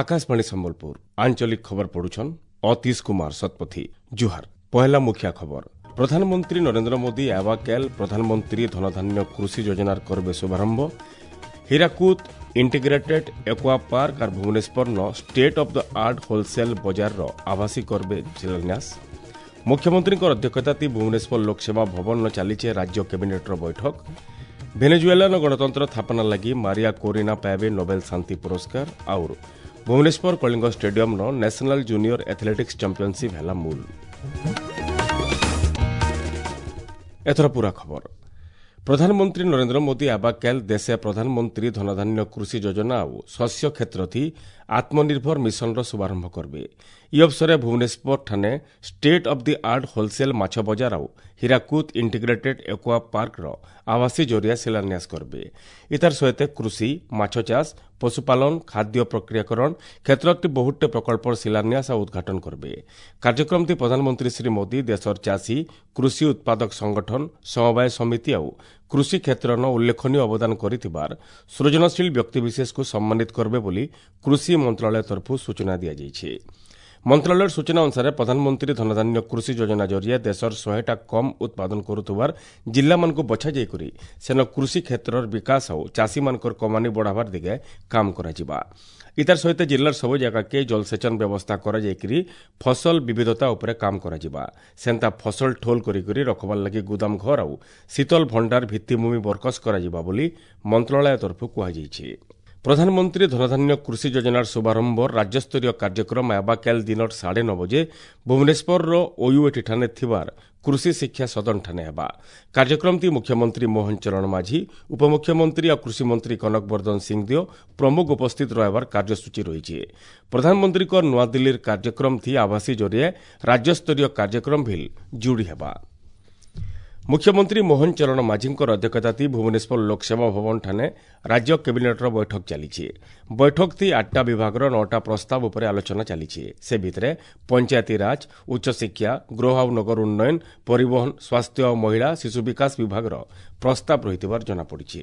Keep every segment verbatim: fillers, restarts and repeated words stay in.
ଆକାଶବାଣୀ ସମ୍ବଲପୁର ଆଞ୍ଚଳିକ ଖବର ପଢୁଛନ୍ ଅତୀଶ କୁମାର ଶତପଥୀ। ଜୁହାର। ପହେଲା ମୁଖିଆ ଖବର। ପ୍ରଧାନମନ୍ତ୍ରୀ ନରେନ୍ଦ୍ର ମୋଦି ଆବାକେଲ ପ୍ରଧାନମନ୍ତ୍ରୀ ଧନଧାନ୍ୟ କୃଷି ଯୋଜନାର କରବେ ଶୁଭାରମ୍ଭ। ହୀରାକୁଦ ଇଣ୍ଟିଗ୍ରେଟେଡ୍ ଏକ୍ୱା ପାର୍କ ଆର୍ ଭୁବନେଶ୍ୱରନ state of the art wholesale ବଜାରର ଆଭାସୀ କରବେ ଶିଳାନ୍ୟାସ। ମୁଖ୍ୟମନ୍ତ୍ରୀଙ୍କ ଅଧ୍ୟକ୍ଷତାତି ଭୁବନେଶ୍ୱର ଲୋକସେବା ଭବନ ଚାଲିଛେ ରାଜ୍ୟ କ୍ୟାବିନେଟ୍ର ବୈଠକ। ଭେନେଜୁଏଲାନ ଗଣତନ୍ତ୍ର ସ୍ଥାପନା ଲାଗି ମାରିଆ କୋରିନା ପାଇବେ ନୋବେଲ ଶାନ୍ତି ପୁରସ୍କାର। ଆଉର ଭୁବନେଶ୍ୱର କଳିଙ୍ଗ ଷ୍ଟାଡିୟମର ନ୍ୟାସନାଲ ଜୁନିୟର ଆଥଲେଟିକ୍ସ ଚାମ୍ପିୟନସିପ୍ ହେଲା ମୂଲ। ଏଥର ପୁରା ଖବର। ପ୍ରଧାନମନ୍ତ୍ରୀ ନରେନ୍ଦ୍ର ମୋଦି ଆବାକାଲ ଦେଶେ ପ୍ରଧାନମନ୍ତ୍ରୀ ଧନଧାନ୍ୟ କୃଷି ଯୋଜନା ଆଉ ଶସ୍ୟ କ୍ଷେତ୍ରଥି ଆତ୍ମନିର୍ଭର ମିଶନର ଶୁଭାରମ୍ଭ କରିବେ। ଇ ଅବସରେ ଭୁବନେଶ୍ୱର ଠାନେ state of the art wholesale ମାଛ ବଜାର ଆଉ ହୀରାକୁଦ ଇଣ୍ଟିଗ୍ରେଟେଡ୍ ଏକ୍ୱା ପାର୍କର ଆଭାସୀ ଜରିଆ ଶିଳାନ୍ୟାସ କରିବେ। ଇତାର ସହିତ କୃଷି, ମାଛ ଚାଷ, ପଶୁପାଳନ, ଖାଦ୍ୟ ପ୍ରକ୍ରିୟାକରଣ କ୍ଷେତ୍ରଟି ବହୁତଟେ ପ୍ରକଳ୍ପର ଶିଳାନ୍ୟାସ ଆଉ ଉଦ୍ଘାଟନ କରିବେ। କାର୍ଯ୍ୟକ୍ରମଟି ପ୍ରଧାନମନ୍ତ୍ରୀ ଶ୍ରୀ ମୋଦି ଦେଶର ଚାଷୀ, କୃଷି ଉତ୍ପାଦକ ସଂଗଠନ, ସମବାୟ ସମିତି ଆଉ କୃଷି କ୍ଷେତ୍ରର ଉଲ୍ଲେଖନୀୟ ଅବଦାନ କରିଥିବାର ସୃଜନଶୀଳ ବ୍ୟକ୍ତିବିଶେଷକୁ ସମ୍ମାନିତ କରିବେ ବୋଲି କୃଷି ମନ୍ତ୍ରଣାଳୟ ତରଫରୁ ସୂଚନା ଦିଆଯାଇଛି। ମନ୍ତ୍ରଣାଳୟର ସୂଚନା ଅନୁସାରେ ପ୍ରଧାନମନ୍ତ୍ରୀ ଧନଧାନ୍ୟ କୃଷି ଯୋଜନା ଜରିଆ ଦେଶର ଶହେଟା କମ୍ ଉତ୍ପାଦନ କରୁଥିବାର ଜିଲ୍ଲାମାନଙ୍କୁ ବଛାଯାଇକରି ସେନ କୃଷି କ୍ଷେତ୍ରର ବିକାଶ ଆଉ ଚାଷୀମାନଙ୍କର କମାନି ବଢ଼ାବାର ଦିଗେ କାମ କରାଯିବା। ଇତାର ସହିତ ଜିଲ୍ଲାର ସବୁ ଜାଗାକେ ଜଳସେଚନ ବ୍ୟବସ୍ଥା କରାଯାଇକରି ଫସଲ ବିବିଧତା ଉପରେ କାମ କରାଯିବା। ସେନ୍ତା ଫସଲ ଠୋଲ କରିକରି ରଖବାର ଲାଗି ଗୁଦାମ ଘର ଆଉ ଶୀତଲ ଭଣ୍ଡାର ଭିତ୍ତିଭୂମି ବରକସ କରାଯିବା ବୋଲି ମନ୍ତ୍ରଣାଳୟ ତରଫରୁ କୁହାଯାଇଛି। ପ୍ରଧାନମନ୍ତ୍ରୀ ଧନଧାନ୍ୟ କୃଷି ଯୋଜନାର ଶୁଭାରମ୍ଭ ରାଜ୍ୟସ୍ତରୀୟ କାର୍ଯ୍ୟକ୍ରମ ଆବାକାଲ ଦିନର ସାଢ଼େ ନଅ ବଜେ ଭୁବନେଶ୍ୱରର ଓୟୁଏଟି ଠାନେ ଥିବାର କୃଷି ଶିକ୍ଷା ସଦନ ଠାନେ ହେବା। କାର୍ଯ୍ୟକ୍ରମଟି ମୁଖ୍ୟମନ୍ତ୍ରୀ ମୋହନ ଚରଣ ମାଝୀ, ଉପମୁଖ୍ୟମନ୍ତ୍ରୀ ଆଉ କୃଷିମନ୍ତ୍ରୀ କନକ ବର୍ଦ୍ଧନ ସିଂଦେଓ ପ୍ରମୁଖ ଉପସ୍ଥିତ ରହିବାର କାର୍ଯ୍ୟସୂଚୀ ରହିଛି। ପ୍ରଧାନମନ୍ତ୍ରୀଙ୍କ ନୂଆଦିଲ୍ଲୀର କାର୍ଯ୍ୟକ୍ରମଥି ଆଭାସୀ ଜରିଆ ରାଜ୍ୟସ୍ତରୀୟ କାର୍ଯ୍ୟକ୍ରମ ଭିଲ୍ ଯୋଡ଼ି ହେବା। ମୁଖ୍ୟମନ୍ତ୍ରୀ ମୋହନ ଚରଣ ମାଝୀଙ୍କର ଅଧ୍ୟକ୍ଷତାତି ଭୁବନେଶ୍ୱର ଲୋକସେବା ଭବନ ଠାନେ ରାଜ୍ୟ କ୍ୟାବିନେଟ୍ର ବୈଠକ ଚାଲିଛି। ବୈଠକଟି ଆଠଟା ବିଭାଗର ନଅଟା ପ୍ରସ୍ତାବ ଉପରେ ଆଲୋଚନା ଚାଲିଛି। ସେ ଭିତରେ ପଞ୍ଚାୟତିରାଜ, ଉଚ୍ଚଶିକ୍ଷା, ଗୃହ ଆଉ ନଗର ଉନ୍ନୟନ, ପରିବହନ, ସ୍ୱାସ୍ଥ୍ୟ ଓ ମହିଳା ଶିଶୁ ବିକାଶ ବିଭାଗର ପ୍ରସ୍ତାବ ରହିଥିବାର ଜଣାପଡ଼ିଛି।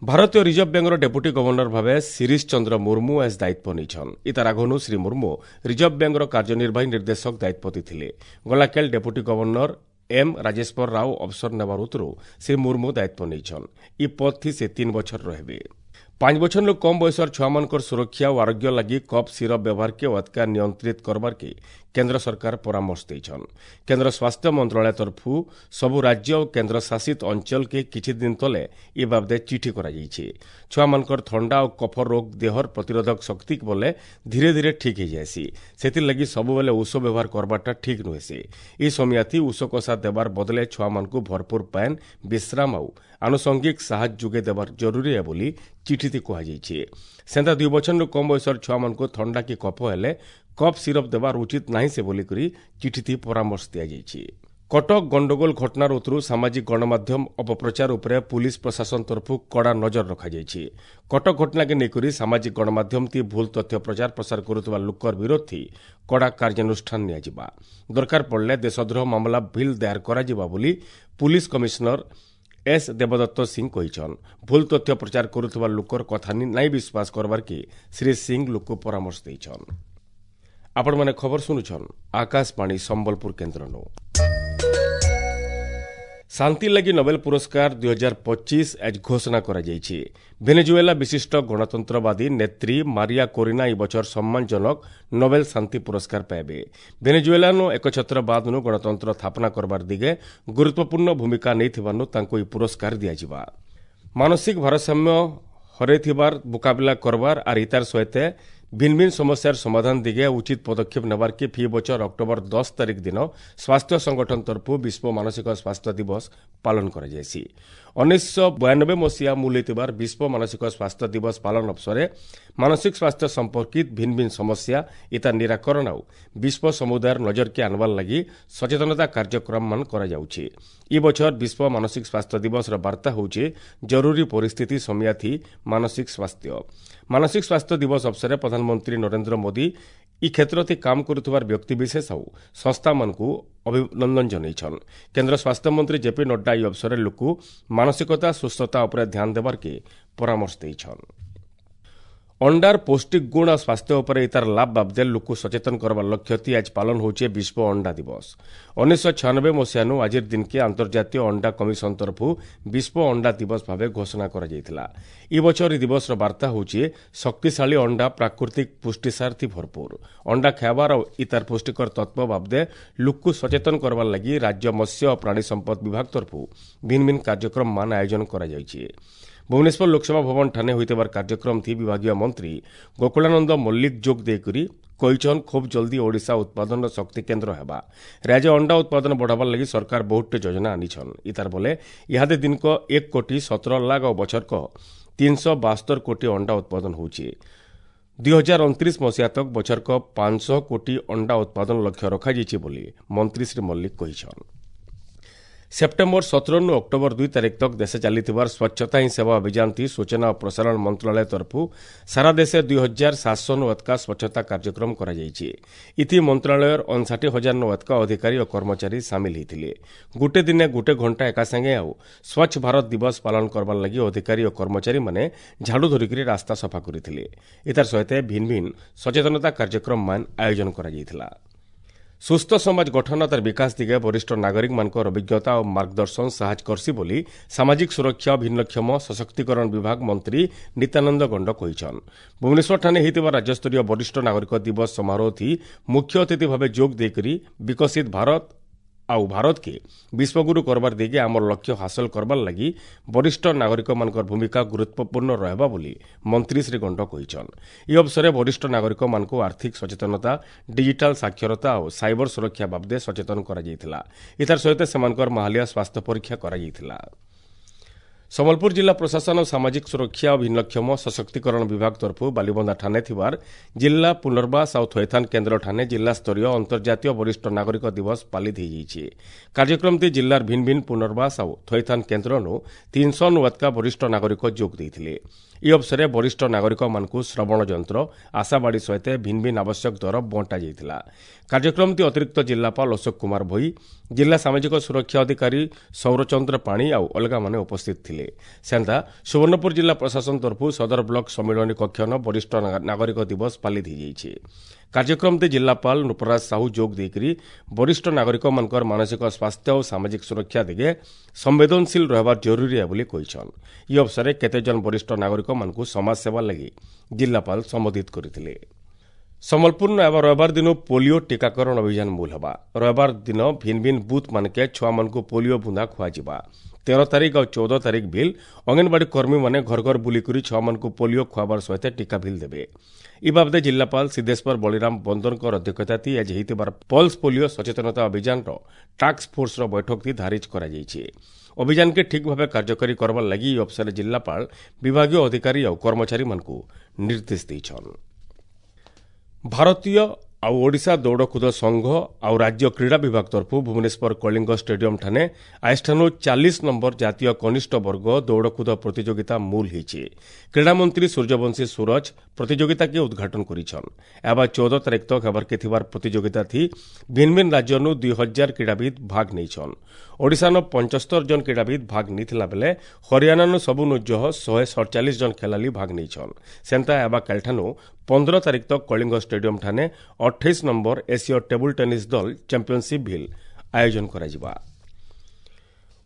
ଭାରତୀୟ ରିଜର୍ଭ ବ୍ୟାଙ୍କର ଡେପୁଟି ଗଭର୍ଣ୍ଣର ଭାବେ ଶିରିଶ ଚନ୍ଦ୍ର ମୁର୍ମୁ ଆଜ ଦାୟିତ୍ୱ ନେଇଛନ୍। ଇତାର ଆଗନୁ ଶ୍ରୀ ମୁର୍ମୁ ରିଜର୍ଭ ବ୍ୟାଙ୍କର କାର୍ଯ୍ୟନିର୍ବାହୀ ନିର୍ଦ୍ଦେଶକ ଦାୟିତ୍ୱ ଥିଲେ। ଗଲାକାଲ deputy governor M Rajeshwar Rao ଅବସର ନେବାର ଉତ୍ତରୁ ଶ୍ରୀ ମୁର୍ମୁ ଦାୟିତ୍ୱ ନେଇଛନ୍। ଇ ପଦଥି ସେ ତିନି ବଛର ରହିବେ। ପାଞ୍ଚ ବଛରରୁ କମ୍ ବୟସର ଛୁଆମାନଙ୍କର ସୁରକ୍ଷା ଓ ଆରୋଗ୍ୟ ଲାଗି କଫ୍ ସିରପ୍ ବ୍ୟବହାରକେ ଅଧିକା ନିୟନ୍ତ୍ରିତ କରବାର୍କେ କେନ୍ଦ୍ର ସରକାର ପରାମର୍ଶ ଦେଇଛନ୍। କେନ୍ଦ୍ର ସ୍ୱାସ୍ଥ୍ୟ ମନ୍ତ୍ରଣାଳୟ ତରଫରୁ ସବୁ ରାଜ୍ୟ ଓ କେନ୍ଦ୍ର ଶାସିତ ଅଞ୍ଚଳକେ କିଛି ଦିନ ତଲେ ଏ ବାବଦେ ଚିଠି କରାଯାଇଛି। ଛୁଆମାନଙ୍କର ଥଣ୍ଡା ଓ କଫ ରୋଗ ଦେହର ପ୍ରତିରୋଧକ ଶକ୍ତି ବଲେ ଧୀରେ ଧୀରେ ଠିକ୍ ହେଇଯାଏସି। ସେଥିର୍ଲାଗି ସବୁବେଲେ ଔଷଧ ବ୍ୟବହାର କରବାରଟା ଠିକ୍ ନୁହେଁସି। ଏ ସମିଆଥି ଔଷଧ କଷା ଦେବାର ବଦଲେ ଛୁଆମାନଙ୍କୁ ଭରପୁର ପାଏନ୍, ବିଶ୍ରାମ ଆଉ ଆନୁଷଙ୍ଗିକ ସାହାଯ୍ୟ ଯୋଗାଇ ଦେବାର ଜରୁରୀ ଏ ବୋଲି ଚିଠିତି କୁହାଯାଇଛି। ସେନ୍ତା ଦୁଇ ବଛରରୁ କମ୍ ବୟସର ଛୁଆମାନଙ୍କୁ ଥଣ୍ଡା କି କଫ ହେଲେ କଫ୍ ସିରପ୍ ଦେବାର ଉଚିତ ନାହିଁ ସେ ବୋଲିକରି ଚିଠିତି ପରାମର୍ଶ ଦିଆଯାଇଛି। କଟକ ଗଣ୍ଡଗୋଳ ଘଟଣାର ଉତ୍ତରୁ ସାମାଜିକ ଗଣମାଧ୍ୟମ ଅପପ୍ରଚାର ଉପରେ ପୁଲିସ ପ୍ରଶାସନ ତରଫରୁ କଡ଼ା ନଜର ରଖାଯାଇଛି। କଟକ ଘଟଣାକେ ନେଇକରି ସାମାଜିକ ଗଣମାଧ୍ୟମତି ଭୁଲ ତଥ୍ୟ ପ୍ରଚାର ପ୍ରସାର କରୁଥିବା ଲୋକର ବିରୋଧୀ କଡ଼ା କାର୍ଯ୍ୟାନୁଷ୍ଠାନ ନିଆଯିବା, ଦରକାର ପଡ଼ିଲେ ଦେଶଦ୍ରୋହ ମାମଲା ବିଲ୍ ଦାୟର କରାଯିବା ବୋଲି ପୁଲିସ କମିଶନର ଏସ୍ ଦେବଦତ୍ତ ସିଂ କହିଛନ୍। ଭୁଲ ତଥ୍ୟ ପ୍ରଚାର କରୁଥିବା ଲୋକର କଥା ନାଇଁ ବିଶ୍ୱାସ କରବାର୍କେ ଶ୍ରୀ ସିଂ ଲୋକକୁ ପରାମର୍ଶ ଦେଇଛନ୍। ଆପଣମାନେ ଖବର ଶୁଣୁଛନ୍ ଆକାଶବାଣୀ ସମ୍ବଲପୁର କେନ୍ଦ୍ରନୁ। ଶାନ୍ତି ଲାଗି ନୋବେଲ ପୁରସ୍କାର ଦୁଇ ହଜାର ପଚିଶ ଆଜ ଘୋଷଣା କରାଯାଇଛି। ଭେନେଜୁଏଲା ବିଶିଷ୍ଟ ଗଣତନ୍ତ୍ରବାଦୀ ନେତ୍ରୀ ମାରିଆ କୋରିନା ଏ ବଛର ସମ୍ମାନଜନକ ନୋବେଲ ଶାନ୍ତି ପୁରସ୍କାର ପାଇବେ। ଭେନେଜୁଏଲାନୁ ଏକଛତ୍ରବାଦନୁ ଗଣତନ୍ତ୍ର ସ୍ଥାପନା କରବାର ଦିଗେ ଗୁରୁତ୍ୱପୂର୍ଣ୍ଣ ଭୂମିକା ନେଇଥିବାରୁ ତାଙ୍କୁ ଏହି ପୁରସ୍କାର ଦିଆଯିବା। ମାନସିକ ଭାରସାମ୍ୟ ହରେଇଥିବାର ମୁକାବିଲା କରବାର ଆର୍ ଇତାର ସହିତ ଭିନ୍ନ ଭିନ୍ନ ସମସ୍ୟାର ସମାଧାନ ଦିଗେ ଉଚିତ ପଦକ୍ଷେପ ନେବାର କି ଫି ବଛର ଅକ୍ଟୋବର ଦଶ ତାରିଖ ଦିନ ସ୍ୱାସ୍ଥ୍ୟ ସଂଗଠନ ତରଫରୁ ବିଶ୍ୱ ମାନସିକ ସ୍ୱାସ୍ଥ୍ୟ ଦିବସ ପାଳନ କରାଯାଇଛି। ଉଣେଇଶହ ବୟାନବେ ମସିହା ମୂଲ ହେଇଥିବାର ବିଶ୍ୱ ମାନସିକ ସ୍ୱାସ୍ଥ୍ୟ ଦିବସ ପାଳନ ଅବସରେ ମାନସିକ ସ୍ୱାସ୍ଥ୍ୟ ସମ୍ପର୍କିତ ଭିନ୍ନ ଭିନ୍ନ ସମସ୍ୟା ଇତାର ନିରାକରଣ ଆଉ ବିଶ୍ୱ ସମୁଦାୟର ନଜରକେ ଆନବାର ଲାଗି ସଚେତନତା କାର୍ଯ୍ୟକ୍ରମମାନ କରାଯାଉଛି। ଇ ବଛର ବିଶ୍ୱ ମାନସିକ ସ୍ୱାସ୍ଥ୍ୟ ଦିବସର ବାର୍ତ୍ତା ହେଉଛି ଜରୁରୀ ପରିସ୍ଥିତି ସମିଆଥି ମାନସିକ ସ୍ୱାସ୍ଥ୍ୟ। ମାନସିକ ସ୍ୱାସ୍ଥ୍ୟ ଦିବସ ଅବସରରେ ପ୍ରଧାନମନ୍ତ୍ରୀ ନରେନ୍ଦ୍ର ମୋଦି ଇ କ୍ଷେତ୍ରଥି କାମ କରୁଥିବାର ବ୍ୟକ୍ତିବିଶେଷ ଆଉ ସଂସ୍ଥାମାନଙ୍କୁ ଅଭିନନ୍ଦନ ଜଣାଇଛନ୍। କେନ୍ଦ୍ର ସ୍ୱାସ୍ଥ୍ୟମନ୍ତ୍ରୀ ଜେପି ନଡ୍ଡା ଏହି ଅବସରରେ ଲୋକ ମାନସିକତା ସୁସ୍ଥତା ଉପରେ ଧ୍ୟାନ ଦେବାର୍କେ ପରାମର୍ଶ ଦେଇଛନ୍। ଅଣ୍ଡାର ପୌଷ୍ଟିକ ଗୁଣ ଆଉ ସ୍ୱାସ୍ଥ୍ୟ ଉପରେ ତାର ଲାଭ ବାବଦେ ଲୋକ ସଚେତନ କରବାର ଲକ୍ଷ୍ୟଥି ଆଜ ପାଳନ ହେଉଛି ବିଶ୍ୱ ଅଣ୍ଡା ଦିବସ। ଉଣେଇଶହ ଛୟାନବେ ମସିହାନୁ ଆଜିର ଦିନକେ ଆନ୍ତର୍ଜାତୀୟ ଅଣ୍ଡା କମିଶନ ତରଫରୁ ବିଶ୍ୱ ଅଣ୍ଡା ଦିବସ ଭାବେ ଘୋଷଣା କରାଯାଇଥିଲା। ଏ ବଛର ଏହି ଦିବସର ବାର୍ତ୍ତା ହେଉଛି ଶକ୍ତିଶାଳୀ ଅଣ୍ଡା ପ୍ରାକୃତିକ ପୁଷ୍ଟିସାର ଥି ଭରପୁର। ଅଣ୍ଡା ଖାଇବାର ଆଉ ଇତାର ପୁଷ୍ଟିକର ତତ୍ତ୍ୱ ବାବଦେ ଲୋକକୁ ସଚେତନ କରବାର ଲାଗି ରାଜ୍ୟ ମତ୍ସ୍ୟ ଓ ପ୍ରାଣୀ ସମ୍ପଦ ବିଭାଗ ତରଫରୁ ଭିନ୍ନ ଭିନ୍ନ କାର୍ଯ୍ୟକ୍ରମ ମାନ ଆୟୋଜନ କରାଯାଇଛି। ଭୁବନେଶ୍ୱର ଲୋକସଭା ଭବନ ଠାନେ ହୋଇଥିବାର କାର୍ଯ୍ୟକ୍ରମ ଥି ବିଭାଗୀୟ ମନ୍ତ୍ରୀ ଗୋକୁଳାନନ୍ଦ ମଲ୍ଲିକ ଯୋଗ ଦେଇକରି କହିଛନ୍, ଖୁବ୍ ଜଲ୍ଦି ଓଡ଼ିଶା ଉତ୍ପାଦନର ଶକ୍ତି କେନ୍ଦ୍ର ହେବା। ରାଜ୍ୟ ଅଣ୍ଡା ଉତ୍ପାଦନ ବଢ଼ାବାର ଲାଗି ସରକାର ବହୁତଟେ ଯୋଜନା ଆନିଛନ୍। ଇତାର ବଲେ ଇହାଦେ ଦିନକ ଏକ କୋଟି ସତର ଲାଖ ଆଉ ବଛରକ ତିନିଶହ ବାସ୍ତର କୋଟି ଅଣ୍ଡା ଉତ୍ପାଦନ ହେଉଛି। ଦୁଇ ହଜାର ଅଣତିରିଶ ମସିହା ତକ ବଛରକ ପାଞ୍ଚଶହ କୋଟି ଅଣ୍ଡା ଉତ୍ପାଦନ ଲକ୍ଷ୍ୟ ରଖାଯାଇଛି ବୋଲି ମନ୍ତ୍ରୀ ଶ୍ରୀ ମଲ୍ଲିକ କହିଛନ୍। ସେପ୍ଟେମ୍ବର ସତରରୁ ଅକ୍ଟୋବର ଦୁଇ ତାରିଖ ତକ ଦେଶେ ଚାଲିଥିବାର ସ୍ୱଚ୍ଛତା ହିଁ ସେବା ଅଭିଯାନ ଥି ସୂଚନା ଓ ପ୍ରସାରଣ ମନ୍ତ୍ରଣାଳୟ ତରଫରୁ ସାରା ଦେଶେ ଦୁଇ ହଜାର ସାତଶହ ନୁ ଅଧିକା ସ୍ୱଚ୍ଛତା କାର୍ଯ୍ୟକ୍ରମ କରାଯାଇଛି। ଇଥି ମନ୍ତ୍ରଣାଳୟର ଅଣଷାଠି ହଜାର ନୁ ଅଧିକା ଅଧିକାରୀ ଓ କର୍ମଚାରୀ ସାମିଲ ହୋଇଥିଲେ। ଗୋଟେ ଦିନେ ଗୋଟେ ଘଣ୍ଟା ଏକା ସାଙ୍ଗେ ଆଉ ସ୍ୱଚ୍ଛ ଭାରତ ଦିବସ ପାଳନ କରବାର ଲାଗି ଅଧିକାରୀ ଓ କର୍ମଚାରୀମାନେ ଝାଡ଼ୁ ଧରିକରି ରାସ୍ତା ସଫା କରିଥିଲେ। ଏତାର ସହିତ ଭିନ୍ନ ଭିନ୍ନ ସଚେତନତା କାର୍ଯ୍ୟକ୍ରମ ମାନ ଆୟୋଜନ କରାଯାଇଥିଲା। ସୁସ୍ଥ ସମାଜ ଗଠନ ତାର ବିକାଶ ଦିଗେ ବରିଷ୍ଠ ନାଗରିକମାନଙ୍କର ଅଭିଜ୍ଞତା ଓ ମାର୍ଗଦର୍ଶନ ସାହାଯ୍ୟ କରସି ବୋଲି ସାମାଜିକ ସୁରକ୍ଷା ଓ ଭିନ୍ନକ୍ଷମ ସଶକ୍ତିକରଣ ବିଭାଗ ମନ୍ତ୍ରୀ ନିତ୍ୟାନନ୍ଦ ଗଣ୍ଡ କହିଛନ୍। ଭୁବନେଶ୍ୱରଠାରେ ହୋଇଥିବା ରାଜ୍ୟସ୍ତରୀୟ ବରିଷ୍ଠ ନାଗରିକ ଦିବସ ସମାରୋହଥି ମୁଖ୍ୟ ଅତିଥି ଭାବେ ଯୋଗ ଦେଇକରି ବିକଶିତ ଭାରତ ଆଉ ଭାରତକେ ବିଶ୍ୱଗୁରୁ କରବାର ଦିଗେ ଆମର ଲକ୍ଷ୍ୟ ହାସଲ କରବାର ଲାଗି ବରିଷ୍ଠ ନାଗରିକମାନଙ୍କର ଭୂମିକା ଗୁରୁତ୍ୱପୂର୍ଣ୍ଣ ରହିବା ବୋଲି ମନ୍ତ୍ରୀ ଶ୍ରୀ ଗଣ୍ଡ କହିଛନ୍। ଏହି ଅବସରରେ ବରିଷ୍ଠ ନାଗରିକମାନଙ୍କୁ ଆର୍ଥିକ ସଚେତନତା, ଡିଜିଟାଲ ସାକ୍ଷରତା ଓ ସାଇବର ସୁରକ୍ଷା ବାବଦେ ସଚେତନ କରାଯାଇଥିଲା। ଏତାର ସହିତ ସେମାନଙ୍କର ମାହାଲିଆ ସ୍ୱାସ୍ଥ୍ୟ ପରୀକ୍ଷା କରାଯାଇଥିଲା। ସମ୍ବଲପୁର ଜିଲ୍ଲା ପ୍ରଶାସନ ଓ ସାମାଜିକ ସୁରକ୍ଷା ଓ ଭିନ୍ନକ୍ଷମ ସଶକ୍ତିକରଣ ବିଭାଗ ତରଫରୁ ବାଲିବନ୍ଧା ଠାନେ ଥିବାର ଜିଲ୍ଲା ପୁନର୍ବାସ ଆଉ ଥଇଥାନ କେନ୍ଦ୍ର ଠାନେ ଜିଲ୍ଲାସ୍ତରୀୟ ଅନ୍ତର୍ଜାତୀୟ ବରିଷ୍ଠ ନାଗରିକ ଦିବସ ପାଳିତ ହୋଇଯାଇଛି। କାର୍ଯ୍ୟକ୍ରମଟି ଜିଲ୍ଲାର ଭିନ୍ନ ଭିନ୍ନ ପୁନର୍ବାସ ଆଉ ଥଇଥାନ କେନ୍ଦ୍ରନୁ ତିନିଶହ ନୁ ଅଧିକା ବରିଷ୍ଠ ନାଗରିକ ଯୋଗ ଦେଇଥିଲେ। ଏହି ଅବସରରେ ବରିଷ୍ଠ ନାଗରିକମାନଙ୍କୁ ଶ୍ରବଣ ଯନ୍ତ୍ର, ଆଶାବାଡ଼ି ସହିତ ଭିନ୍ନ ଭିନ୍ନ ଆବଶ୍ୟକ ଦର ବଣ୍ଟା ଯାଇଥିଲା। କାର୍ଯ୍ୟକ୍ରମଟି ଅତିରିକ୍ତ ଜିଲ୍ଲାପାଳ ଅଶୋକ କୁମାର ଭୋଇ, ଜିଲ୍ଲା ସାମାଜିକ ସୁରକ୍ଷା ଅଧିକାରୀ ସୌରଚନ୍ଦ୍ର ପାଣି ଆଉ ଅଲଗାମାନେ ଉପସ୍ଥିତ ଥିଲେ। ସେନ୍ତା ସୁବର୍ଣ୍ଣପୁର ଜିଲ୍ଲା ପ୍ରଶାସନ ତରଫରୁ ସଦର ବ୍ଲକ ସମ୍ମିଳନୀ କକ୍ଷନ ବରିଷ୍ଠ ନାଗରିକ ଦିବସ ପାଳିତ ହୋଇଯାଇଛି। କାର୍ଯ୍ୟକ୍ରମରେ ଜିଲ୍ଲାପାଳ ନୃପରାଜ ସାହୁ ଯୋଗ ଦେଇକରି ବରିଷ୍ଠ ନାଗରିକମାନଙ୍କର ମାନସିକ ସ୍ୱାସ୍ଥ୍ୟ ଓ ସାମାଜିକ ସୁରକ୍ଷା ଦିଗେ ସମ୍ବେଦନଶୀଳ ରହିବା ଜରୁରୀ ବୋଲି କହିଛନ୍। ଏହି ଅବସରରେ କେତେଜଣ ବରିଷ୍ଠ ନାଗରିକମାନଙ୍କୁ ସମାଜସେବା ଲାଗି ଜିଲ୍ଲାପାଳ ସମ୍ବୋଧିତ କରିଥିଲେ। ସମ୍ବଲପୁର ଏବା ରବିବାର ଦିନ ପୋଲିଓ ଟିକାକରଣ ଅଭିଯାନ ମୂଲ ହେବା। ରବିବାର ଦିନ ଭିନ୍ନ ଭିନ୍ନ ବୁଥ୍ ମାନକେ ଛୁଆମାନଙ୍କୁ ପୋଲିଓ ବୁନ୍ଦା ଖୁଆଯିବା। ତେର ତାରିଖ ଆଉ ଚଉଦ ତାରିଖ ଭିଲ୍ ଅଙ୍ଗନବାଡ଼ି କର୍ମୀମାନେ ଘର ଘର ବୁଲିକରି ଛୁଆମାନଙ୍କୁ ପୋଲିଓ ଖୁଆବାର ସହିତ ଟିକା ଭିଲ୍ ଦେବେ। ଇ ବାବଦେ ଜିଲ୍ଲାପାଳ ସିଦ୍ଧେଶ୍ୱର ବଳିରାମ ବନ୍ଦରଙ୍କର ଅଧ୍ୟକ୍ଷତାତି ଆଜି ହୋଇଥିବାର ପଲ୍ସ ପୋଲିଓ ସଚେତନତା ଅଭିଯାନର ଟାସ୍କ ଫୋର୍ସର ବୈଠକଟି ଧାରିଜ କରାଯାଇଛି। ଅଭିଯାନକେ ଠିକ୍ ଭାବେ କାର୍ଯ୍ୟକାରୀ କରବାର ଲାଗି ଏହି ଅବସରରେ ଜିଲ୍ଲାପାଳ ବିଭାଗୀୟ ଅଧିକାରୀ ଆଉ କର୍ମଚାରୀମାନଙ୍କୁ ନିର୍ଦ୍ଦେଶ ଦେଇଛନ୍। ଭାରତୀୟ ଆଉ ଓଡ଼ିଶା ଦୌଡ଼କୁଦ ସଂଘ ଆଉ ରାଜ୍ୟ କ୍ରୀଡ଼ା ବିଭାଗ ତରଫରୁ ଭୁବନେଶ୍ୱର କଳିଙ୍ଗ ଷ୍ଟାଡିୟମ ଠାନେ ଆଜିଠାନୁ ଚାଳିଶ ନମ୍ବର ଜାତୀୟ କନିଷ୍ଠ ବର୍ଗ ଦୌଡ଼କୁଦ ପ୍ରତିଯୋଗିତା ମୂଲ ହୋଇଛି। କ୍ରୀଡ଼ାମନ୍ତ୍ରୀ ସୂର୍ଯ୍ୟବଂଶୀ ସୁରଜ ପ୍ରତିଯୋଗିତାକେ ଉଦ୍ଘାଟନ କରିଛନ୍। ଏବା ଚଉଦ ତାରିଖ ତକ ହେବାର୍କେ ଥିବାର ପ୍ରତିଯୋଗିତା ଥି ଭିନ୍ନ ଭିନ୍ନ ରାଜ୍ୟନୁ ଦୁଇ ହଜାର କ୍ରୀଡ଼ାବିତ୍ ଭାଗ ନେଇଛନ୍। ଓଡ଼ିଶାନ ପଞ୍ଚସ୍ତର ଜଣ କ୍ରୀଡ଼ାବିତ୍ ଭାଗ ନେଇଥିଲା ବେଲେ ହରିୟାଣାନୁ ସବୁନୁ ଜହ ଶହେ ସଡ଼ଚାଳିଶ ଜଣ ଖେଳାଳି ଭାଗ ନେଇଛନ୍। ସେନ୍ତା ଏବା କାଲିଠାନୁ ପନ୍ଦର ତାରିଖ ତକ କଳିଙ୍ଗ ଷ୍ଟାଡିୟମ ଠାନେ ଅଠେଇଶ ନମ୍ବର ଏସୀୟ ଟେବୁଲ ଟେନିସ୍ ଦଳ ଚାମ୍ପିଅନସିପ୍ ଭିଲ୍ ଆୟୋଜନ କରାଯିବା।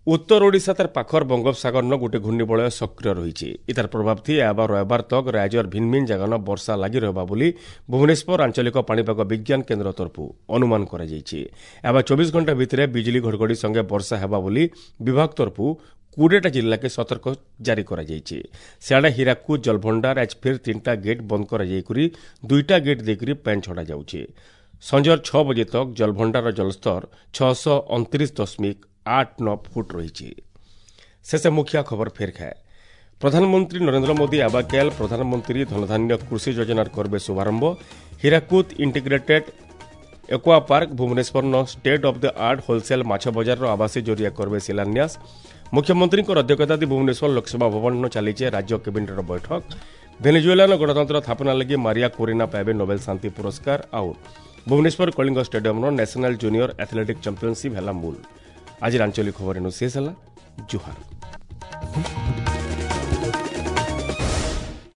ଉତ୍ତର ଓଡ଼ିଶା ତାର ପାଖର ବଙ୍ଗୋପସାଗରନ ଗୋଟିଏ ଘୂର୍ଣ୍ଣିବଳୟ ସକ୍ରିୟ ରହିଛି। ଇତାର ପ୍ରଭାବ ଥି ଏବା ରବିବାର ତକ ରାଜ୍ୟର ଭିନ୍ନ ଭିନ୍ନ ଜାଗାନ ବର୍ଷା ଲାଗି ରହିବା ବୋଲି ଭୁବନେଶ୍ୱର ଆଞ୍ଚଳିକ ପାଣିପାଗ ବିଜ୍ଞାନ କେନ୍ଦ୍ର ତରଫରୁ ଅନୁମାନ କରାଯାଇଛି। ଏବା ଚବିଶ ଘଣ୍ଟା ଭିତରେ ବିଜୁଳି ଘଡ଼ଘଡ଼ି ସଙ୍ଗେ ବର୍ଷା ହେବା ବୋଲି ବିଭାଗ ତରଫରୁ କୋଡ଼ିଏଟା ଜିଲ୍ଲାକେ ସତର୍କ ଜାରି କରାଯାଇଛି। ସିଆଡ଼େ ହୀରାକୁଦ ଜଳଭଣ୍ଡାର ଆଜ ଫେର୍ ତିନିଟା ଗେଟ୍ ବନ୍ଦ କରାଯାଇକରି ଦୁଇଟା ଗେଟ୍ ଦେଇକରି ପାଣି ଛଡ଼ାଯାଉଛି। ସଞ୍ଜର ଛଅ ବଜେ ତକ ଜଳଭଣ୍ଡାରର ଜଳସ୍ତର ଛଅଶହ ଅଣତିରିଶ ଦଶମିକ ଆଠ ନଅ ଫୁଟ ରହିଛି। ଶେଷ ମୁଖିଆ ଖବର ଫେର୍ ଖାଏ। ପ୍ରଧାନମନ୍ତ୍ରୀ ନରେନ୍ଦ୍ର ମୋଦି ଆବାକେଲ ପ୍ରଧାନମନ୍ତ୍ରୀ ଧନଧାନ୍ୟ କୃଷି ଯୋଜନାର କରିବେ ଶୁଭାରମ୍ଭ। ହୀରାକୁଦ ଇଣ୍ଟିଗ୍ରେଟେଡ୍ ଏକ୍ୱା ପାର୍କ ଭୁବନେଶ୍ୱରର state of the art wholesale ମାଛ ବଜାରର ଆବାସୀ ଜରିଆ କରିବେ ଶିଳାନ୍ୟାସ। ମୁଖ୍ୟମନ୍ତ୍ରୀଙ୍କ ଅଧ୍ୟକ୍ଷତାରେ ଭୁବନେଶ୍ୱର ଲୋକସଭା ଭବନ ଚାଲିଛି ରାଜ୍ୟ କ୍ୟାବିନେଟ୍ର ବୈଠକ। ଭେନେଜୁଏଲାର ଗଣତନ୍ତ୍ର ସ୍ଥାପନା ଲାଗି ମାରିଆ କୋରିନା ପାଇବେ ନୋବେଲ ଶାନ୍ତି ପୁରସ୍କାର। ଆଉ ଭୁବନେଶ୍ୱର କଳିଙ୍ଗ ଷ୍ଟାଡିୟମର ନ୍ୟାସନାଲ ଜୁନିୟର ଆଥଲେଟିକ୍ ଚାମ୍ପିୟନସିପ୍ ହେଲା ମୂଳ। ଆଜିର ଆଞ୍ଚଳିକ ଖବର ଏନୁ ଶେଷ ହେଲା। ଜୁହାର।